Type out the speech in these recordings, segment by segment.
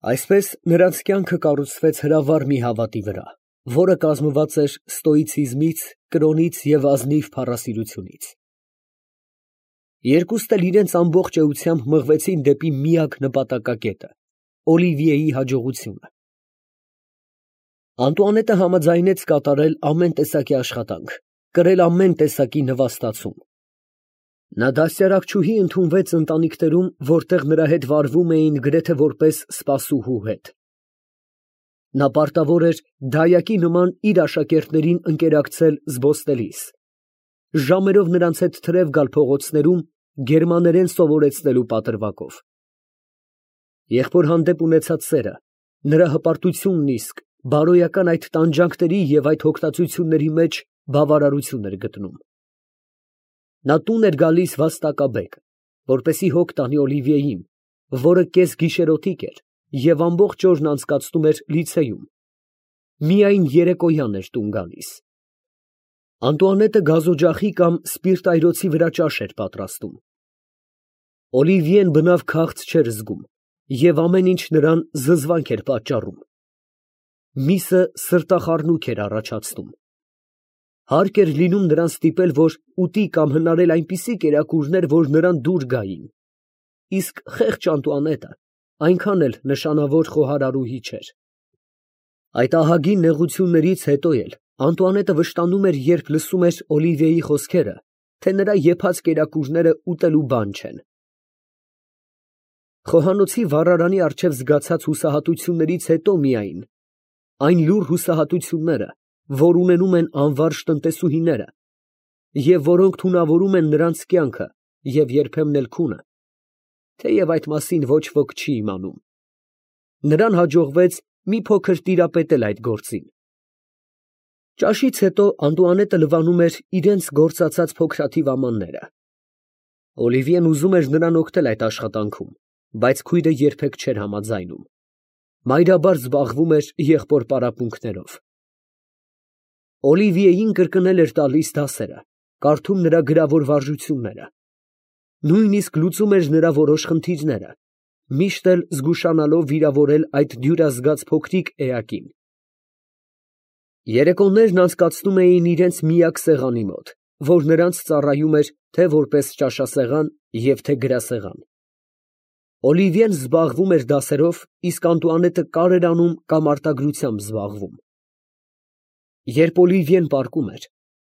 Այսպես նրանց կյանքը կառուցվեց հրավառ մի հավատի վրա, որը կազմված էր ստոիցիզմից, կրոնից և ազնիվ փառասիրությունից։ Երկուսն էլ իրենց ամբողջ էությամբ մղվեցին դեպի միակ նպատակակետը՝ Օլիվիեի հաջողությունը։ Անտուանետը համաձայնեց կատարել ամեն տեսակի աշխատանք, կրել ամեն տեսակի նվաստացում։ Նա դաստիարակչուհի ընդունվեց ընտանիքներում, որտեղ նրա հետ վարվում էին գրեթե որպես սպասուհու հետ։ Նա պարտավոր էր դայակի նման իր աշակերտներին ընկերակցել զբոսնելիս, ժամերով նրանց հետ թրև գալ փողոցներում գերմաներեն սովորեցնելու պատրվակով։ Եղբոր հանդեպ ունեցած սերը, նրա հպարտությունն իսկ բարոյական այդ տանջանքների և այդ հոգնածությունների մեջ բավարարություն էր գտնում։ Նա տուն էր գալիս վաստակաբեկ, որպեսզի հոգ տանի Օլիվիեին, որը կեսգիշերօթիկ էր և ամբողջ օրն անցկացնում էր լիցեյում, միայն երեկոյան էր տուն գալիս։ Անտուանետը գազօջախի կամ սպիրտայրոցի վրա ճաշ էր պատրաստում։ Օլիվիեն բնավ քաղց չէր զգում և ամեն ինչ նրան զզվանք էր պատճառում։ Միսը սրտախառնուրդ էր առաջացնում։ Հարկ էր լինում նրան ստիպել, որ ուտի կամ հնարել այնպիսի կերակուրներ, որ նրան դուր գային, իսկ խեղճ Անտուանետը այնքան էլ նշանավոր խոհարարուհի չէր։ Այդ ահագին նեղություններից հետո էլ Անտուանետը վշտանում էր, երբ լսում էր Օլիվիեի խոսքերը, թե նրա եփած կերակուրները ուտելու բան չեն։ Խոհանոցի վառարանի առջև զգացած հուսահատություններից հետո միայն, այն լուռ հուսահատությունները, որ ունենում են անվարժ տնտեսուհիները, և որոնք թունավորում են նրանց կյանքը և երբեմն էլ քունը, թեև այդ մասին ոչ ոք չի իմանում, նրան հաջողվեց մի փոքր տիրապետել այդ գործին։ Ճաշից հետո Անտուանետը լվանում էր իրենց գործածած փոքրաթիվ ամանները։ Օլիվիեն ուզում էր նրան օգնել այդ աշխատանքում, բայց քույրը երբեք չէր համաձայնում, մայրաբար զբաղվում էր եղբոր պարապմունքներով։ Օլիվիեին կրկնել էր տալիս դասերը, կարդում նրա գրավոր վարժությունները, նույնիսկ լուծում էր նրա որոշ խնդիրները, միշտ էլ զգուշանալով վիրավորել այդ դյուրազգաց փոքրիկ էակին։ Երեկոներն անցկացնում էին իրենց միակ սեղանի մոտ, որ նրանց ծառայում էր թե որպես ճաշասեղան և թե գրասեղան։ Օլիվիեն զբաղվում էր դասերով, իսկ Անտուանետը կարեր անում կամ արտագրությամբ զբաղվում։ Երբ Օլիվիեն պառկում էր,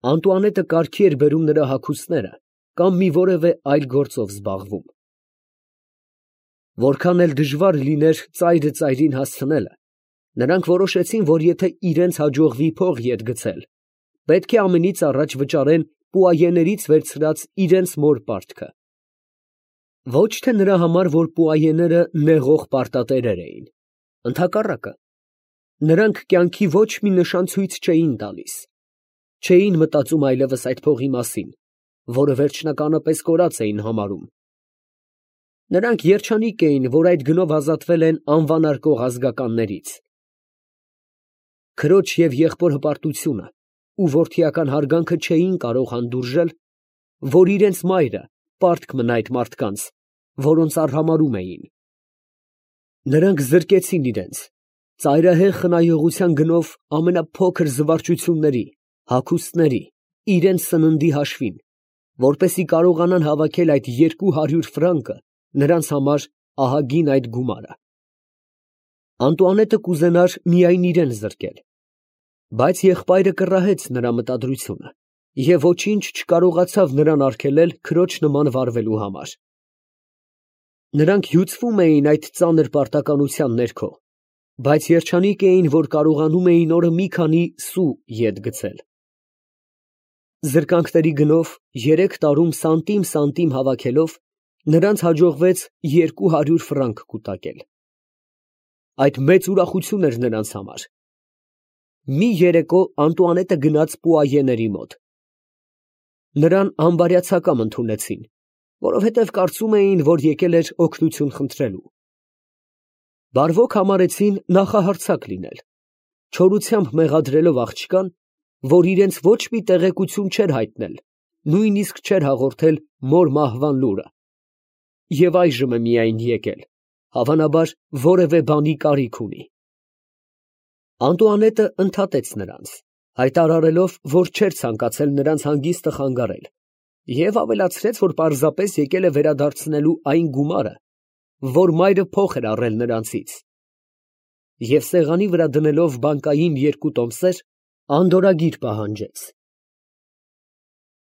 Անտուանետը կարգի էր բերում նրա հագուստները կամ մի որևէ այլ գործով զբաղվում։ Որքան էլ դժվար լիներ ծայրը ծայրին հասցնելը, նրանք որոշեցին, որ եթե իրենց հաջողվի փող ետ գցել, պետք է ամենից առաջ վճարեն պուայեներից վերցրած իրենց մոր պարտքը։ Ոչ թե նրա համար, որ պուայեները նեղող պարտատերեր էին, ընդհակառակը, նրանք կյանքի ոչ մի նշան ցույց չէին տալիս, չէին մտածում այլևս այդ փողի մասին, որը վերջնականապես կորած էին համարում։ Նրանք երջանիկ էին, որ այդ գնով ազատվել են անվանարկող ազգականներից։ Քրոջ և եղբոր հպարտությունը ու որդիական հարգանքը չէին կարող հանդուրժել, որ իրենց մայրը պարտք մնա այդ մարդկանց, որոնց արհամարհում էին։ Նրանք զրկեցին իրենց, ծայրահեղ խնայողության գնով ամենափոքր զվարճությունների, հագուստների, իրենց սննդի հաշվին, որպեսզի կարողանան հավաքել այդ 200 ֆրանկը նրանց համար ահագին այդ գումարը։ Անտուանետը կուզենար միայն իրեն զրկել, բայց եղբայրը կռահեց նրա մտադրությունը և ոչինչ չկարողացավ նրան արգելել քրոջ նման վարվելու համար։ Նրանք հյուծվում էին այդ ծանր պարտականության ներքո, բայց երջանիկ էին, որ կարողանում էին օրը մի քանի սու ետ գցել։ Զրկանքների գնով 3 տարում սանտիմ հավաքելով, նրանց հաջողվեց 200 ֆրանկ կուտակել։ Այդ մեծ ուրախություն էր նրանց համար։ Մի երեկո Անտուանետը գնաց պուայեների մոտ։ Նրան անբարյացակամ ընդունեցին, որովհետև կարծում էին, որ եկել էր օգնություն խնդրելու։ Բարվոք համարեցին նախահարձակ լինել, չորությամբ մեղադրելով աղջկան, որ իրենց ոչ մի տեղեկություն չէր հայտնել, նույնիսկ չէր հաղորդել մոր մահվան լուրը, և այժմ է միայն եկել, Հավանաբար որևէ բանի կարիք ունի։ Անտուանետը ընդհատեց նրանց, հայտարարելով, որ չէր ցանկացել նրանց հանգիստը խանգարել, և ավելացրեց, որ պարզապես եկել է վերադարձնելու այն գումարը, որ մայրը փող էր առել նրանցից, և սեղանի վրա դնելով բանկային 2 տոմսեր, անդորրագիր պահանջեց։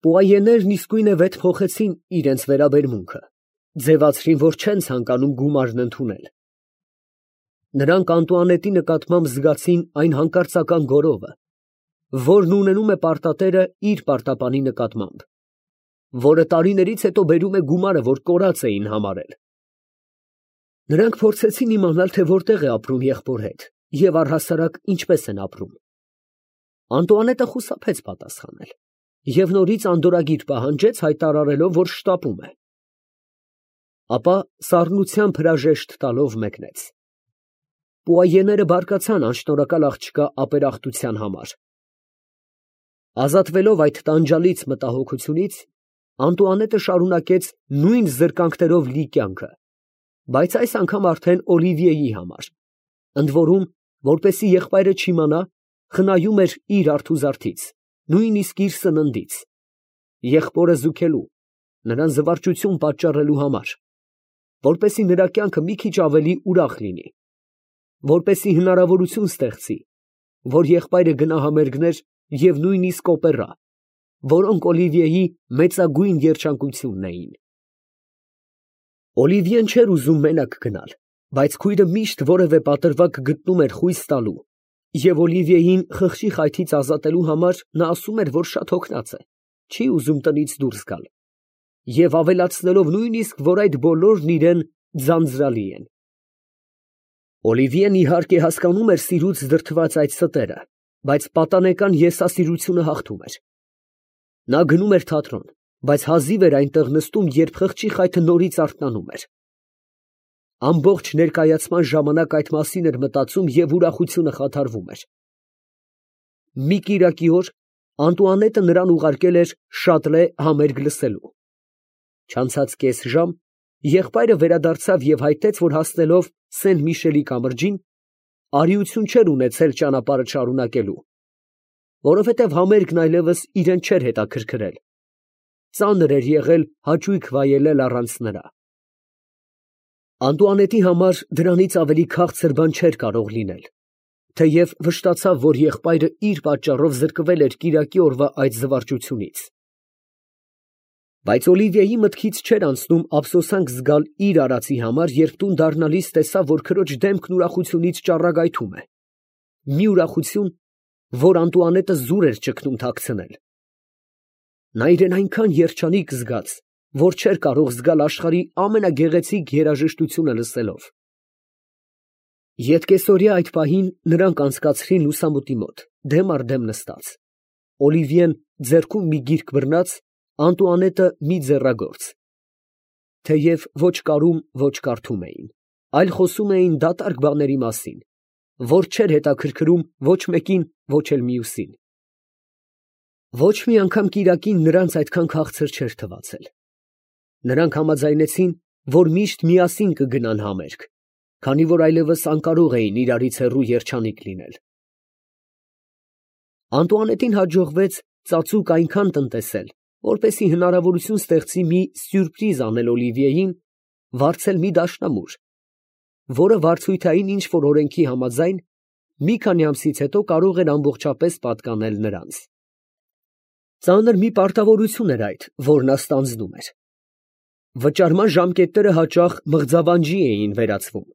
Պուայեներն իսկույն վետ փոխեցին իրենց վերաբերմունքը, ձևացրին, որ չեն ցանկանում գումարն ընդունել։ Նրանք Անտուանետի նկատմամբ զգացին այն հանկարծական գոռովը, որն ունենում է պարտատերը իր պարտապանի նկատմամբ, որը տարիներից հետո բերում է գումարը, որ կորած էին համարել։ Նրանք փորձեցին իմանալ, թե որտեղ է ապրում եղբոր հետ և առհասարակ ինչպես են ապրում։ Անտուանետը խուսափեց պատասխանել և նորից անդորրագիր պահանջեց, հայտարարելով, որ շտապում է։ Ապա սառնությամբ հրաժեշտ տալով մեկնեց։ Պուայեները բարկացան անշնորհակալ աղջկա ապերախտության համար։ Ազատվելով այդ տանջալից մտահոգությունից, Անտուանետը շարունակեց նույն զրկանքներով լի կյանքը, բայց այս անգամ արդեն Օլիվիեի համար, ընդ որում, որպեսզի եղբայրը չիմանա, խնայում էր իր արթուզարդից, նույնիսկ իր սննդից, եղբորը զուգելու, նրան զվարճություն պատճառելու համար, որպեսզի նրա կյանքը մի քիչ ավելի ուրախ լինի, որպեսզի հնարավորություն ստեղծի, որ եղբայրը գնա համերգներ և նույնիսկ օպերա, որոնք Օլիվիեի մեծագույն երջանկությունն էին։ Օլիվիեն չէր ուզում մենակ գնալ, բայց քույրը միշտ որևէ պատրվակ գտնում էր խույս տալու, և Օլիվիեին խղճի խայթից ազատելու համար նա ասում էր, որ շատ հոգնած է, չի ուզում տնից դուրս գալ, և ավելացնելով նույնիսկ, որ այդ բոլորն իրան ձանձրալի են։ Օլիվիեն իհարկե հասկանում էր սիրուց դրդված այդ ստերը, բայց պատանեկան եսասիրությունը հաղթում էր։ Նա գնում էր թատրոն, բայց հազիվ էր այնտեղ նստում, երբ խղճի խայթը նորից արթնանում էր։ Ամբողջ ներկայացման ժամանակ այդ մասին էր մտածում և ուրախությունը խաթարվում էր։ Մի կիրակի օր Անտուանետը նրան ուղարկել էր Շատլե համերգ լսելու։ Չանցած կես ժամ եղբայրը վերադարձավ և հայտեց, որ հասնելով Սեն Միշելի կամրջին, արիություն չէր ունեցել ճանապարհը շարունակելու, որովհետև համերգն այլևս իրան չէր հետաքրքրել, ծանր էր եղել հաճույք վայելել առանց նրա։ Անտուանետի համար դրանից ավելի քաղցր բան չէր կարող լինել, թեև վշտացավ, որ եղբայրը իր պատճառով զրկվել էր կիրակի օրվա այդ զվարճությունից։ Բայց Օլիվիեի մտքից չէր անցնում ափսոսանք զգալ իր արածի համար, երբ տուն դառնալիս տեսավ, որ քրոջ դեմքն ուրախությունից ճառագայթում է, մի ուրախություն, որ Անտուանետը զուր էր ճգնում թաքցնել։ Նա իրեն այնքան երջանիկ զգաց, որ չէր կարող զգալ աշխարհի ամենագեղեցիկ երաժշտությունը լսելով։ Ետկեսօրյա այդ պահին նրանք անցկացրին լուսամուտի մոտ, դեմ առ դեմ նստած, Օլիվիեն ձեռքում մի գիրք բռնած, Անտուանետը մի ձեռագործ։ Թեև ոչ կարում, ոչ կարդում էին, այլ խոսում էին դատարկ բաների մասին, որ չէր հետաքրքրում ոչ մեկին, ոչ էլ մյուսին։ Ոչ մի անգամ կիրակին նրանց այդքան քաղցր չէր թվացել։ Նրանք համաձայնեցին, որ միշտ միասին կգնան համերգ, քանի որ այլևս անկարող էին իրարից հեռու երջանիկ լինել։ Անտուանետին հաջողվեց ծածուկ այնքան տնտեսել, որպեսզի հնարավորություն ստեղծի մի սյուրպրիզ անել Օլիվիեին, վարձել մի դաշնամուր, որը վարձույթային ինչ֊որ օրենքի համաձայն մի քանի ամսից հետո կարող էր ամբողջապես պատկանել նրանց։ Ծանր մի պարտավորություն էր այդ, որ նա ստանձնում էր։ Վճարման ժամկետները հաճախ մղձավանջի էին վերածվում։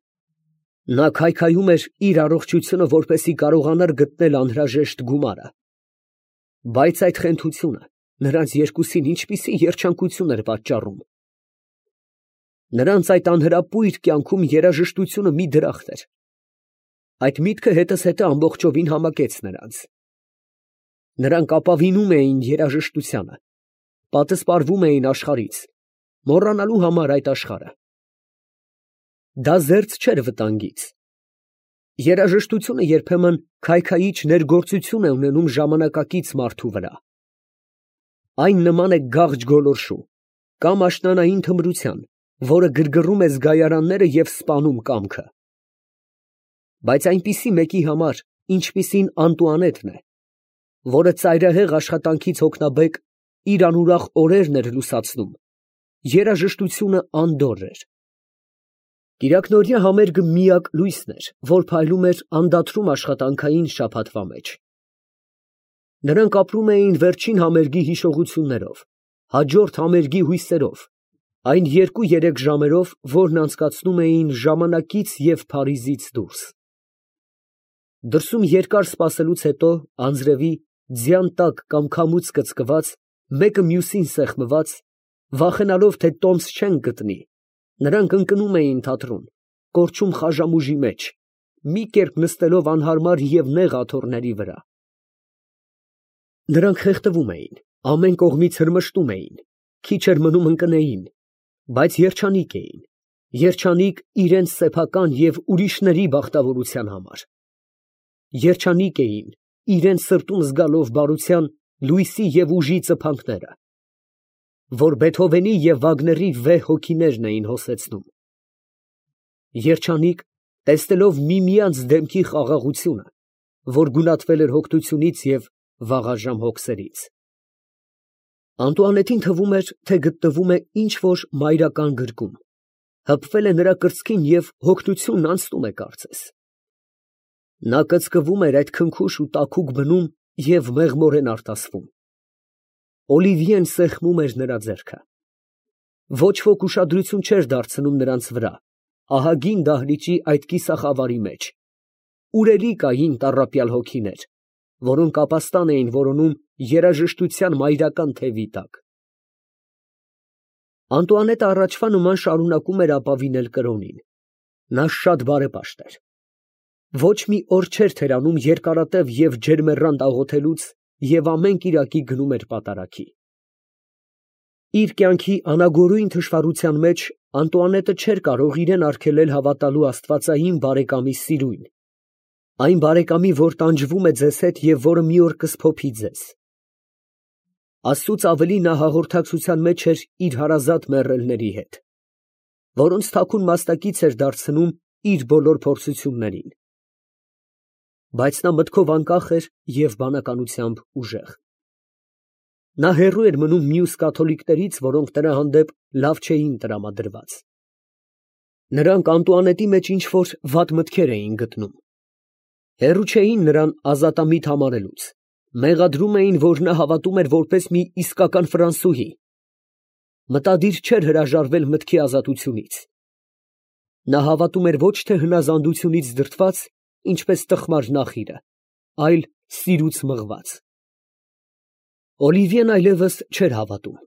Նա քայքայում էր իր առողջությունը, որպեսզի կարողանար գտնել անհրաժեշտ գումարը։ Բայց այդ խենթությունը նրանց երկուսին ինչպիսի երջանկություն էր պատճառում։ Նրանց այդ անհրապույր կյանքում երաժշտությունը մի դրախտ էր։ Այդ միտքը հետզհետե ամբողջովին համակեց նրանց։ Նրանք ապավինում էին երաժշտությանը, պատսպարվում էին աշխարհից, մոռանալու համար այդ աշխարհը։ Դա զերծ չէր վտանգից։ Երաժշտությունը երբեմն քայքայիչ ներգործություն է ունենում ժամանակակից մարդու վրա։ Այն նման է գաղջ գոլորշու կամ աշնանային թմրության, որը գրգռում է զգայարանները և սպանում կամքը։ Բայց այնպիսի մեկի համար, ինչպիսին Անտուանետն է, որը ծայրահեղ աշխատանքից հոգնաբեկ իր անուրախ օրերն էր լուսացնում, երաժշտությունը անդորր էր։ Կիրակնօրյա համերգը միակ լույսն էր, որ փայլում էր անդադրում աշխատանքային շաբաթվա մեջ։ Նրանք ապրում էին վերջին համերգի հիշողություններով, հաջորդ համերգի հույսերով, այն 2-3 ժամերով, որն անցկացնում էին ժամանակից և Փարիզից դուրս։ Դրսում երկար սպասելուց հետո, անձրևի, ձյան տակ կամ քամուց կծկված, մեկը մյուսին սեղմված, վախենալով, թե տոմս չեն գտնի, նրանք ընկնում էին թատրոն, կորչում խաժամուժի մեջ, մի կերպ նստելով անհարմար և նեղ աթոռների վրա։ Նրանք խեղդվում էին, ամեն կողմից հրմշտում էին, քիչ էր մնում ընկնեին, բայց երջանիկ էին, երջանիկ իրենց սեփական և ուրիշների բախտավորության համար։ Երջանիկ էին, իրենց սրտում զգալով բարության, լույսի և ուժի ծփանքները, որ Բեթհովենի և Վագների վեհ հոգիներն էին հոսեցնում։ Երջանիկ, տեսնելով միմյանց դեմքի խաղաղությունը, որ գունատվել էր հոգնությունից և վաղաժամ հոգսերից։ Անտուանետին թվում էր, թե գտնվում է ինչ֊որ մայրական գրկում, հպվել է նրա կրծքին և հոգնությունն անցնում է կարծես։ Նա կծկվում էր այդ քնքուշ ու տաքուկ բնում և մեղմորեն արտասվում։ Օլիվիեն սեղմում էր նրա ձեռքը։ Ոչ ոք ուշադրություն չէր դարձնում նրանց վրա, ահագին դահլիճի այդ կիսախավարի մեջ, ուր էլի կային տառապյալ հոգիներ, որոնք ապաստան էին որոնում երաժշտության մայրական թևի տակ։ Անտուանետը առաջվա նման շարունակում էր ապավինել կրոնին։ Նա շատ բարեպաշտ էր։ Ոչ մի օր չէր թերանում երկարատև և ջերմեռանդ աղոթելուց և ամեն կիրակի գնում էր պատարագի։ Իր կյանքի անագորույն թշվառության մեջ Անտուանետը չէր կարող իրեն արգելել հավատալու աստվածային բարեկամի սիրույն, այն բարեկամի, որ տանջվում է ձեզ հետ և որը մի օր կսփոփի ձեզ։ Աստծուց ավելի նա հաղորդակցության մեջ էր իր հարազատ մեռելների հետ, որոնց թաքուն մասնակից էր դարձնում իր բոլոր փորձություններին։ Բայց նա մտքով անկախ էր և բանականությամբ ուժեղ։ Նա հեռու էր մնում մյուս կաթոլիկներից, որոնք նրա հանդեպ լավ չէին տրամադրված։ Նրանք Անտուանետի մեջ ինչ֊որ վատ մտքեր էին գտնում։ Հեռու չէին նրան ազատամիտ համարելուց, մեղադրում էին, որ նա հավատում էր որպես մի իսկական ֆրանսուհի, մտադիր չէր հրաժարվել մտքի ազատությունից։ Նա հավատում էր ոչ թե հնազանդությունից դրդված, ինչպես տխմար նախիրը, այլ սիրուց մղված։ Օլիվիեն այլևս չէր հավատում։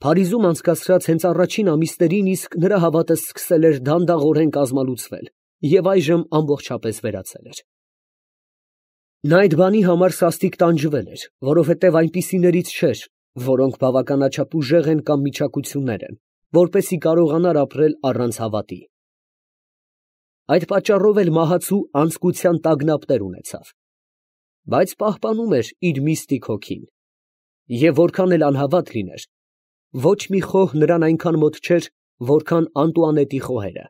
Փարիզում անցկացրած հենց առաջին ամիսներին իսկ նրա հավատը սկսել էր դանդաղորեն կազմալուծվել և այժմ ամբողջապես վերացել էր։ Նա այդ բանի համար սաստիկ տանջվել էր, որովհետև այնպիսիներից չէր, որոնք բավականաչափ ուժեղ են կամ միչակություններ են, որպեսզի կարողանար ապրել առանց հավատի։ Այդ պատճառով էլ մահացու անձկության տագնապներ ունեցավ, բայց պահպանում էր իր միստիկ հոգին, և որքան էլ անհավատ լիներ, ոչ մի խոհ նրան այնքան մոտ չէր, որքան Անտուանետի խոհերը։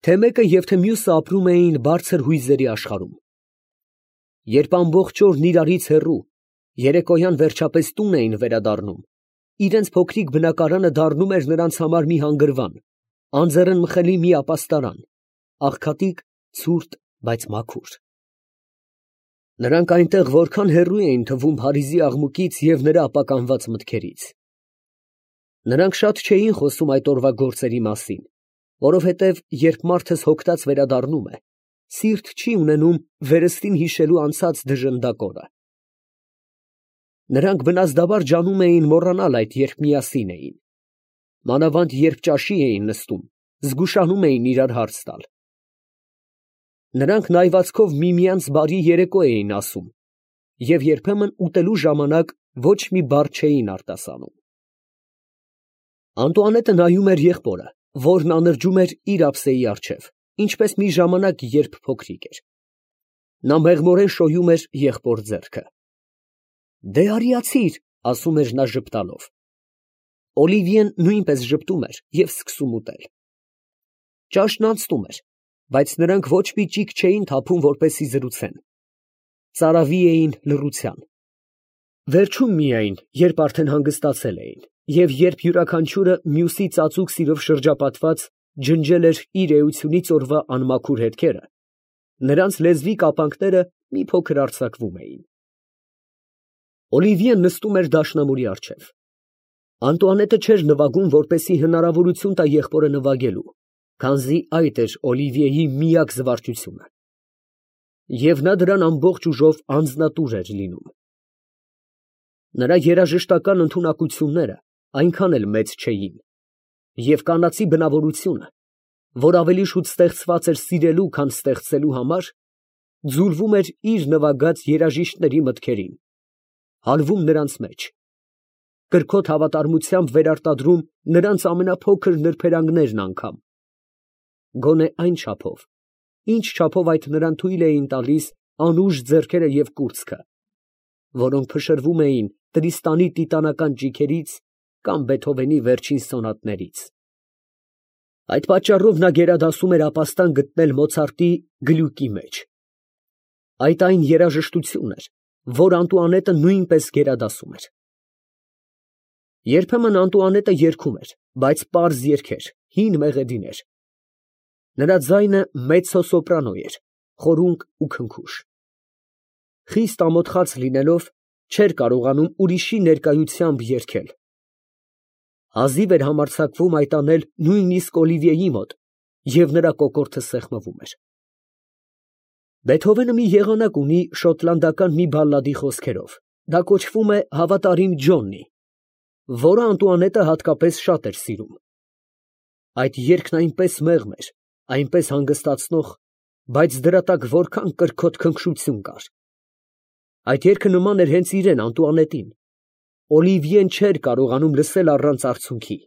Թե մեկը և թե մյուսը ապրում էին բարձր հույզերի աշխարհում։ Երբ ամբողջ օրն իրարից հեռու, երեկոյան վերջապես տուն էին վերադառնում, իրենց փոքրիկ բնակարանը դառնում էր նրանց համար մի հանգրվան, անձեռնմխելի մի ապաստարան, աղքատիկ, ցուրտ, բայց մաքուր։ Նրանք այնտեղ որքան հեռու էին թվում Փարիզի աղմուկից և նրա ապականված մտքերից։ Նրանք շատ չէին խոսում այդ օրվա գործերի մասին, որովհետև երբ մարդս հոգնած վերադառնում է, սիրտ չի ունենում վերստին հիշելու անցած դժնդակ օրը։ Նրանք բնազդաբար ջանում էին մոռանալ այդ, երբ միասին էին։ Մանավանդ երբ ճաշի էին նստում, զգուշանում էին իրար հարց տալ։ Նրանք նայվածքով միմյանց բարի երեկո էին ասում և երբեմն ուտելու ժամանակ ոչ մի բառ չէին արտասանում։ Անտուանետը նայում էր եղբորը, որն անրջում էր իր ափսեի առջև, ինչպես մի ժամանակ, երբ փոքրիկ էր։ Նա մեղմորեն շոյում էր եղբոր ձեռքը։ «Դե արիացի՛ր», ասում էր նա ժպտալով։ Օլիվիեն նույնպես ժպտում էր և սկսում ուտել։ Ճաշն անցնում էր, բայց նրանք ոչ մի ճիգ չէին թափում, որպեսզի զրուցեն. ծարավի էին լռության։ Վերջում միայն, երբ արդեն հանգստացել էին, և երբ յուրաքանչյուրը մյուսի ծածուկ սիրով շրջապատված ջնջել էր իր էությունից օրվա անմաքուր հետքերը, նրանց լեզվի կապանքները մի փոքր արձակվում էին։ Օլիվիեն նստում էր դաշնամուրի առջև։ Անտուանետը չէր նվագում, որպեսզի հնարավորություն տա եղբորը նվագելու, քանզի այդ էր Օլիվիեի միակ զվարճությունը։ Եվ նա դրան ամբողջ ուժով անձնատուր էր լինում։ Նրա երաժշտական ընդունակությունները այնքան էլ մեծ չէին, և կանացի բնավորությունը, որ ավելի շուտ ստեղծված էր սիրելու, քան ստեղծելու համար, ձուլվում էր իր նվագած երաժիշտների մտքերին, հալվում նրանց մեջ, կրքոտ հավատարմությամբ վերարտադրում նրանց ամենափոքր նրբերանգներն անգամ, գոնե այն չափով, ինչ չափով այդ նրան թույլ էին տալիս անուշ ձեռքերը և կուրծքը, որոնք փշրվում էին Տրիստանի տիտանական ճիգերից կամ Բեթհովենի վերջին սոնատներից։ Այդ պատճառով նա գերադասում էր ապաստան գտնել Մոցարտի գլյուկի մեջ։ Այդ այն երաժշտությունն էր, որ Անտուանետը նույնպես գերադասում էր։ Երբեմն Անտուանետը երգում էր, բայց պարզ երգեր, հին մեղեդիներ։ Նրա ձայնը մեծցո սոպրանո էր, խորունկ ու քնքուշ։ Խիստ ամոթխած լինելով, չէր կարողանում ուրիշի ներկայությամբ երգել։ Հազիվ էր համարձակվում այդ անել նույնիսկ Օլիվիեի մոտ, և նրա կոկորդը սեղմվում էր։ Բեթհովենը մի եղանակ ունի շոտլանդական մի բալլադի խոսքերով, դա կոչվում է «Հավատարիմ Ջոննի», որը Անտուանետը հատկապես շատ էր սիրում։ Այդ երգն այնպես մեղմ էր, այնպես հանգստացնող, բայց դրա տակ որքան կրքոտ քնքշություն կար։ Այդ երգը նման էր հենց իրան Անտուանետին։ Օլիվիեն չէր կարողանում լսել առանց արցունքի։